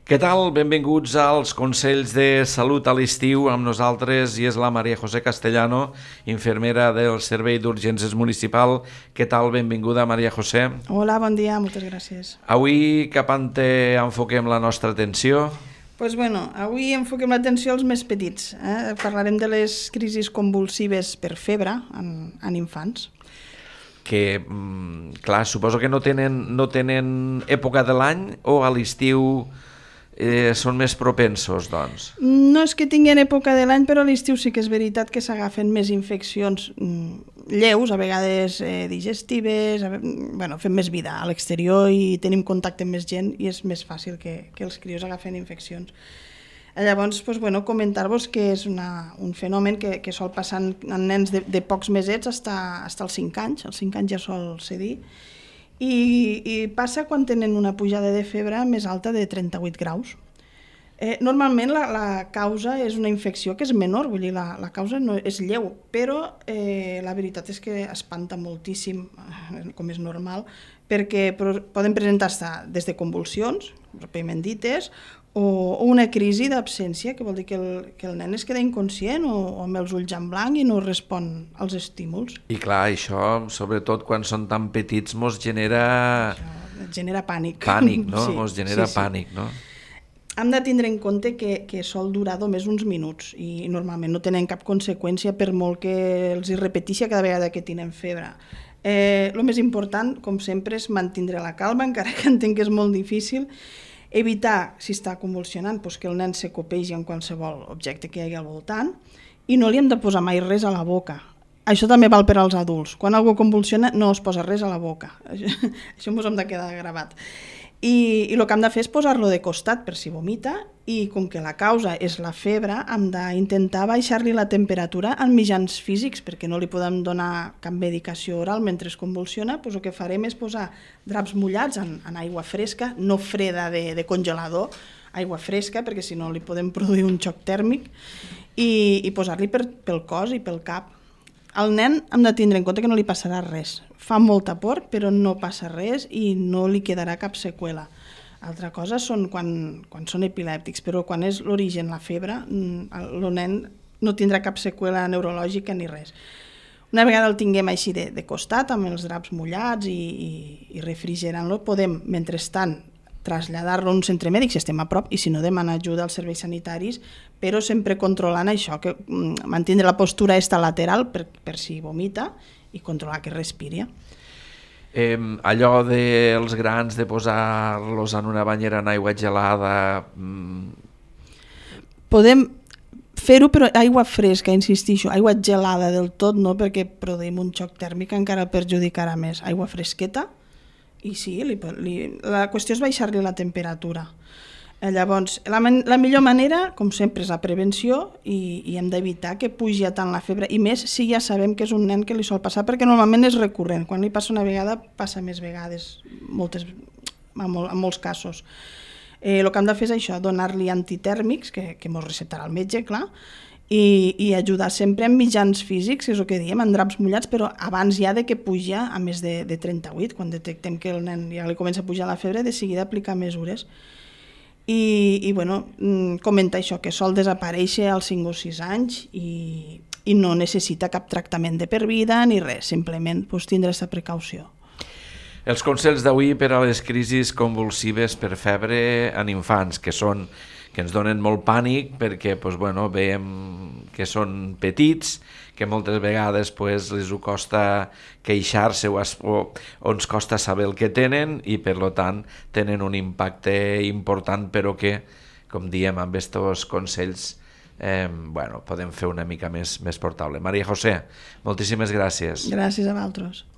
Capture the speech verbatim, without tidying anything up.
Què tal? Benvinguts als Consells de Salut a l'estiu. Amb nosaltres i és la Maria José Castellano, infermera del Servei d'Urgències Municipal. Què tal? Benvinguda, Maria José. Hola, bon dia, moltes gràcies. Avui cap on enfoquem la nostra atenció? Pues bueno, avui enfoquem l'atenció als més petits. Eh? Parlarem de les crisis convulsives per febre en, en infants. Que, clar, suposo que no tenen, no tenen època de l'any o a l'estiu eh, són més propensos, doncs? No és que tinguin època de l'any, però a l'estiu sí que és veritat que s'agafen més infeccions lleus, a vegades eh, digestives, a, bueno, fem més vida a l'exterior i tenim contacte amb més gent i és més fàcil que, que els crios agafen infeccions. Llavors, pues, bueno, comentar-vos que és una, un fenomen que, que sol passar en, en nens de, de pocs mesets fins als cinc anys, als cinc anys ja sol ser dir, i, i passa quan tenen una pujada de febre més alta de trenta-vuit graus. Eh, normalment la, la causa és una infecció que és menor, vull dir, la, la causa no és lleu, però eh, la veritat és que espanta moltíssim, com és normal, perquè poden presentar-se des de convulsions, pròpiament dites, o una crisi d'absència, que vol dir que el, que el nen es queda inconscient o, o amb els ulls en blanc i no respon als estímuls. I clar, això, sobretot quan són tan petits, mos genera... Això genera pànic. Pànic, no? Sí, mos genera sí, sí. pànic, no? Hem de tindre en compte que, que sol durar només uns minuts i normalment no tenen cap conseqüència per molt que els hi repeteixi cada vegada que tenen febre. Eh, el més important, com sempre, és mantenir la calma, encara que entenc que és molt difícil, evitar, si està convulsionant, doncs que el nen se copegi en qualsevol objecte que hi hagi al voltant i no li hem de posar mai res a la boca. Això també val per als adults. Quan algú convulsiona no es posa res a la boca. Això ens hem de quedar gravat. I, i el que hem de fer és posar-lo de costat per si vomita i com que la causa és la febre hem d'intentar baixar-li la temperatura amb mitjans físics perquè no li podem donar cap medicació oral mentre es convulsiona, doncs el que farem és posar draps mullats en, en aigua fresca, no freda de, de congelador, aigua fresca perquè si no li podem produir un xoc tèrmic i, i posar-li per, pel cos i pel cap. Al nen hem de tindre en compte que no li passarà res. Fa molta por, però no passa res i no li quedarà cap seqüela. Altra cosa són quan, quan són epilèptics, però quan és l'origen, la febre, el nen no tindrà cap seqüela neurològica ni res. Una vegada el tinguem així de, de costat, amb els draps mullats i, i, i refrigerant-lo, podem, mentrestant, traslladar-lo a un centre mèdic si estem a prop i si no demanar ajuda als serveis sanitaris, però sempre controlant això, que mantenir la postura esta lateral per, per si vomita i controlar que respiri. Eh, allò dels grans de posar-los en una banyera en aigua gelada... Mm... Podem fer-ho, però aigua fresca, insistixo, aigua gelada del tot no, perquè produïm un xoc tèrmic encara perjudicarà més. Aigua fresqueta, i sí, li, li, la qüestió és baixar-li la temperatura. Eh, llavors, la, la millor manera, com sempre, és la prevenció i, i hem d'evitar que pugi a tant la febre, i més si ja sabem que és un nen que li sol passar, perquè normalment és recurrent. Quan li passa una vegada, passa més vegades, moltes, en, mol, en molts casos. Eh, el que hem de fer és això, donar-li antitèrmics, que, que mos recetarà el metge, clar, I, i ajudar sempre amb mitjans físics, és el que diem, en draps mullats, però abans ja de que puja a més de, de trenta-vuit, quan detectem que el nen ja li comença a pujar la febre, de seguida aplicar mesures. I, i bueno, comenta això, que sol desaparèixer als cinc o sis anys i, i no necessita cap tractament de per vida ni res, simplement pues, tindre aquesta precaució. Els consells d'avui per a les crisis convulsives per febre en infants, que són que ens donen molt pànic perquè pues, bueno, veiem que són petits, que moltes vegades pues, els ho costa queixar-se o, o, o ens costa saber el que tenen i per tant tenen un impacte important però que, com diem amb aquests consells, eh, bueno, podem fer una mica més, més portable. Maria José, moltíssimes gràcies. Gràcies a vosaltres.